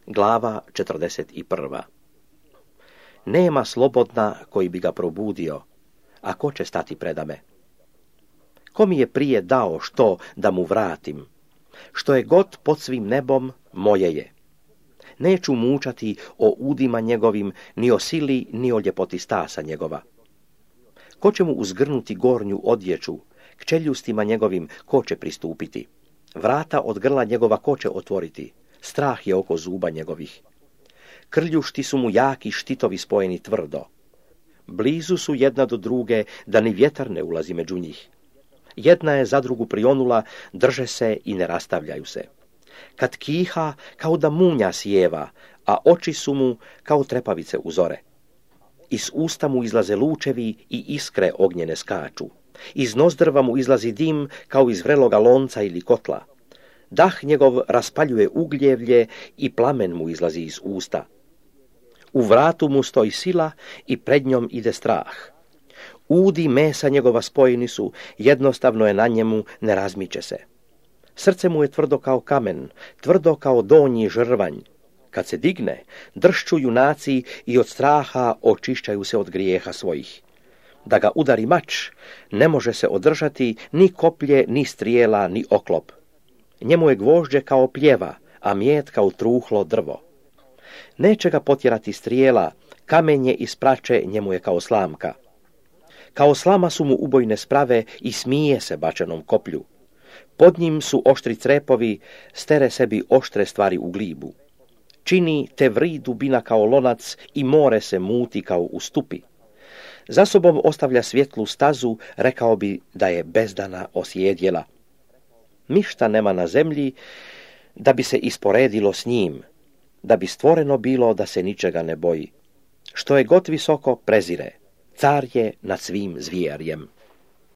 Glava 41. Nema slobodna koji bi ga probudio, a ko će stati predame? Ko mi je prije dao što da mu vratim? Što je god pod svim nebom, moje je. Neću mučati o udima njegovim, ni o sili, ni o ljepoti stasa njegova. Ko će mu uzgrnuti gornju odjeću, k čeljustima njegovim ko će pristupiti? Vrata od grla njegova ko će otvoriti? Strah je oko zuba njegovih. Krljušti su mu jaki štitovi spojeni tvrdo. Blizu su jedna do druge, da ni vjetar ne ulazi među njih. Jedna je za drugu prionula, drže se i ne rastavljaju se. Kad kiha, kao da munja sjeva, a oči su mu kao trepavice u zore. Iz usta mu izlaze lučevi i iskre ognjene skaču. Iz nozdrva mu izlazi dim kao iz vreloga lonca ili kotla. Dah njegov raspaljuje ugljevlje i plamen mu izlazi iz usta. U vratu mu stoji sila i pred njom ide strah. Udi mesa njegova spojeni su, jednostavno je na njemu, ne razmiče se. Srce mu je tvrdo kao kamen, tvrdo kao donji žrvanj. Kad se digne, dršću junaci i od straha očišćaju se od grijeha svojih. Da ga udari mač, ne može se održati ni koplje, ni strijela, ni oklop. Njemu je gvožđe kao pljeva, a mjet kao truhlo drvo. Neće ga potjerati strijela, kamenje iz prače njemu je kao slamka. Kao slama su mu ubojne sprave i smije se bačenom koplju. Pod njim su oštri crepovi, stere sebi oštre stvari u glibu. Čini te vri dubina kao lonac i more se muti kao u stupi. Za sobom ostavlja svjetlu stazu, rekao bi da je bezdana osjedjela. Ništa nema na zemlji da bi se isporedilo s njim, da bi stvoreno bilo da se ničega ne boji. Što je god visoko prezire, car je nad svim zvijerjem.